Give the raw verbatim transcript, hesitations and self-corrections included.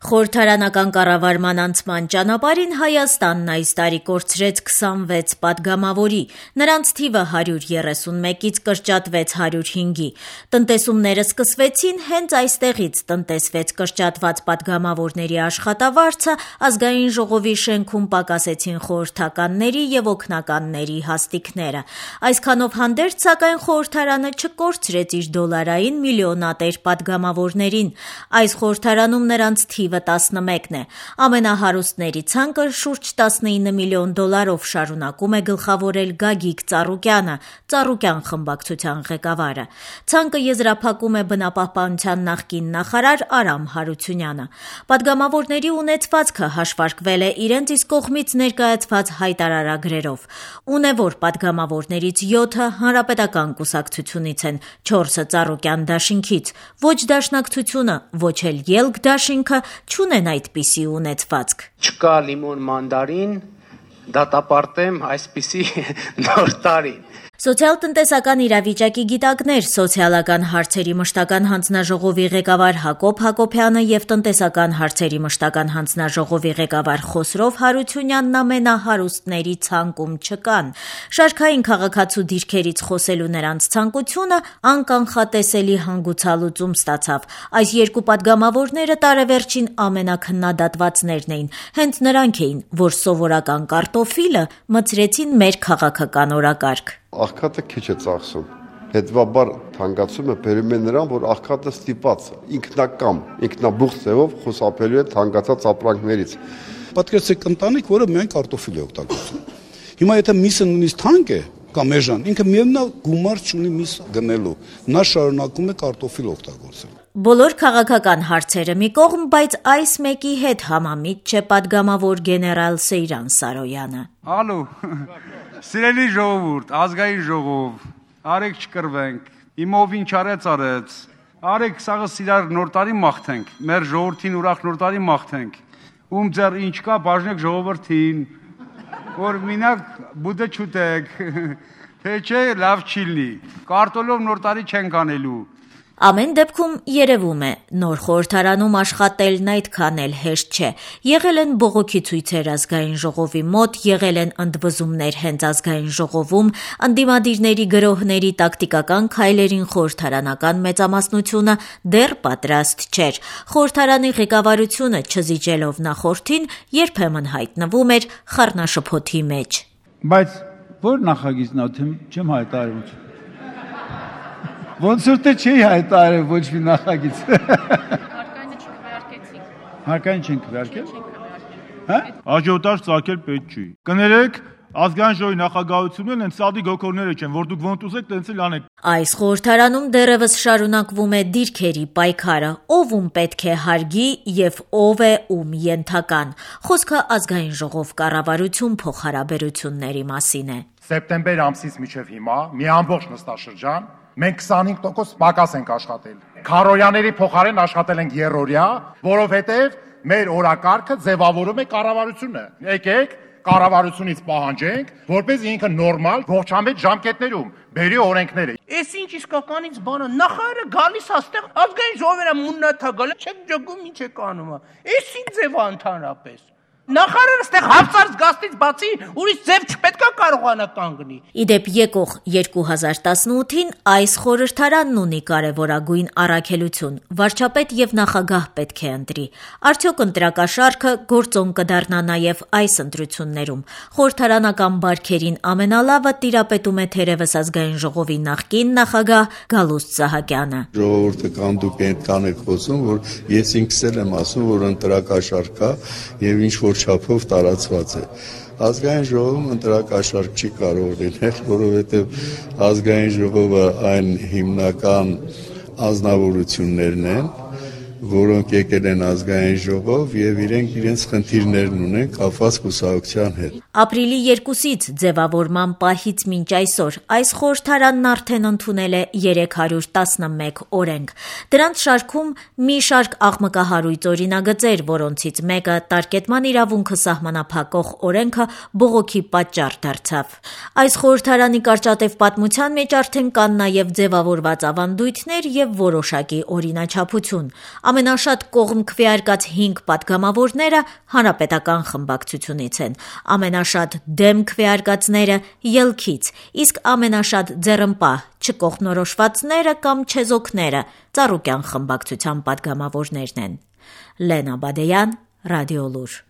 Խորհրդարանական կառավարման անցման ճանապարհին Հայաստանն այս տարի կորցրեց քսանվեց պատգամավորի, նրանց թիվը հարյուր երեսունմեկից կրճատվեց հարյուր հինգի։ Տնտեսումները սկսվեցին հենց այստեղից, տնտեսվեց կրճատված պատգամավորների աշխատավարձը, ազգային ժողովի շենքում պակասեցին խորհրդականների և օգնականների հաստիքները։ Այսքանով հանդերձ, սակայն խորհրդարանը չկորցրեց իր դոլարային միլիոնատեր պատգամավորներին։ Այս խորհրդարանում նրանց թիվը տասնմեկն է։ Ամենահարուստների ցանկը շուրջ տասնինը միլիոն դոլարով շարունակում է գլխավորել Գագիկ Ծառուկյանը, Ծառուկյան խմբակցության ղեկավարը։ Ցանկը եզրափակում է բնապահպանության նախկին նախարար Արամ Հարությունյանը։ Պատգամավորների ունեցվածքը հաշվարկվել է իրենց իսկ կողմից ներկայացված հայտարարագրերով։ Ունևոր պատգամավորներից յոթը հանրապետական կուսակցությունից են, չորսը Ծառուկյան դաշինքից։ Ոչ դաշնակցությունը, ոչ էլ Ելք դաշինքը չունեն այդպիսի ունեցվածք։ Չկա լիմոն մանդարին, դատապարտեմ այսպիսի նոր տարին։ Սոցիալ-տնտեսական իրավիճակի գիտակներ, սոցիալական հարցերի մշտական հանձնաժողովի ղեկավար Հակոբ Հակոբյանը և տնտեսական հարցերի մշտական հանձնաժողովի ղեկավար Խոսրով Հարությունյանն ամենահարուստների ցանկում չկան։ Շարքային քաղաքացու դիրքերից խոսելու նրանց ցանկությունը անկանխատեսելի հանգուցալուծում ստացավ։ Այս երկու պատգամավորները տարեվերջին ամենաքննադատվածներն էին։ Հենց նրանք էին, որ սովորական կարտոֆիլը մցրեցին մեր քաղաքական օրակարգ։ Աղքատը քիչ է ծախսում, հետևաբար թանկացումը բերում է նրան, որ աղքատը ստիպված ինքնակամ, ինքնաբուխ ձևով խուսափելու է թանկացած ապրանքներից։ Պատկերացրեք ընտանիք, որը միայն կարտոֆիլ է օգտագործում։ Հիմա եթե միսը նույնիսկ թանկ է կամ էժան, ինքը միևնույն գումար չունի միս գնելու, նա շարունակում է կարտոֆիլ օգտագործել։ Բոլոր քաղաքական հարցերը մի կողմ, բայց այս մեկի հետ համամիտ չէ պատգամավոր գեներալ Սեյրան Սարոյանը։ Ալո, սիրելի ժողովուրդ, ազգային ժողով, արեք չկրվենք, իմով ինչ արեց արեց, արեք սաղը սիրար նոր տարի մաղթենք, մեր ժողովրդին ուրախ նոր տարի մաղթենք, ում ձեր ինչ կա բաժնեք ժողովրդին, որ մինակ բուդը չուտեք, թե չէ լավ չի լինի, կարտոլով նոր տարի չենք անելու։ Ամեն դեպքում երևում է, նոր խորհրդարանում աշխատելն այդքան էլ հեշտ չէ։ Եղել են բողոքի ցույցեր ազգային ժողովի մոտ, եղել են ընդվզումներ հենց ազգային ժողովում, ընդդիմադիրների գրոհների տակտիկական քայլերին խորհրդարանական մեծամասնությունը դեռ պատրաստ չէր։ Խորհրդարանի ղեկավարությունը, չզիջելով նախորդին, երբեմն հայտնվում էր խառնաշփոթի մեջ։ Բայց որ նախագիծն է, չեմ հայտարարում։ Ոնց որ թե չի հայտարարել ոչ մի նախագիծ։ Հարկայինը չքվեարկեցինք։ Հարկային չենք քվեարկել։ Հա? Աջոտար ծակել պետք չի։ Կներեք, ազգային ժողովի նախագահությունն են սադի գոքորները չեն, որ դուք ոնց ուզեք, տենց էլ անեք։ Այս խորհրդարանում դեռևս շարունակվում է դիրքերի պայքարը, ով ում պետք է հարգի և ով է ում ենթական։ Խոսքը ազգային ժողով կառավարություն փոխհարաբերությունների մասին է։ Սեպտեմբեր ամսից մինչև հիմա մի ամբողջ նստաշրջան մենք քսանհինգ տոկոս պակաս ենք աշխատել։ Քարոյաների փոխարեն աշխատել ենք երրորդյա, որովհետև մեր օրակարգը ձևավորում է կառավարությունը։ Եկեք կառավարությունից պահանջենք, որպես ինքը նորմալ ողջամետ ժամկետներում բերի օրենքները։ Էս ինչ իսկականից բանը, նախարարը գալիս աստեղ ազգային ժողովը մուննաթա գալը, չեք ջոգում ինչ եք անում։ Էս ինչ ձև է ընդհանրապես։ Նախարարը ստեղ հապծարց գաստից բացի ուրիշ ձև չպետքա կարողանա կանգնի։ Իդեպ եկող երկու հազար տասնութին այս խորհրդարանն ունի կարևորագույն առաքելություն։ Վարչապետ և նախագահ պետք է ընտրի։ Արդյոք ընտրակաշարքը գործոն կդառնա նաև այս ընտրություններում։ Խորհրդարանական բարքերին ամենալավը տիրապետում է թերևս ազգային ժողովի նախկին նախագահ Գալուստ Սահակյանը։ Ժողովուրդը կամ դուք այնքան եք խոսում, որ ես ինքս էլ եմ ասում, որ ընտրակաշարք կա եւ ինչ չափով տարածված է։ Ազգային ժողովում ընտրակաշարք չի կարող լինել, որովհետև ազգային ժողովը այն հիմնական անձնավորություններն են, որոնք եկել են ազգային ժողով եւ իրենք իրենց խնդիրներն ունեն կապված կուսակցության հետ։ Ապրիլի երկուսից ձևավորման պահից մինչ այսօր այս խորհրդարանն արդեն ընդունել է երեք հարյուր տասնմեկ օրենք։ Դրանց շարքում մի շարք աղմկահարույց օրինագծեր, որոնցից մեկը տարկետման իրավունքը սահմանափակող օրենքը բողոքի պատճառ դարձավ։ Այս խորհրդարանի կարճատև պատմության մեջ արդեն կան նաև ձևավորված ավանդույթներ եւ որոշակի օրինաչափություն։ Ամենաշատ կողմ քվեարկած հինգ պատգամավորները հանրապետական խմբակցությունից են, ամենաշատ դեմ քվեարկածները ելքից, իսկ ամենաշատ ձեռնպահ չկողմնորոշվածները կամ չեզոքները Ծառուկյան խմբակցության պատգամավորներն են։ Լենա Բադեյան, Ռադիոլուր։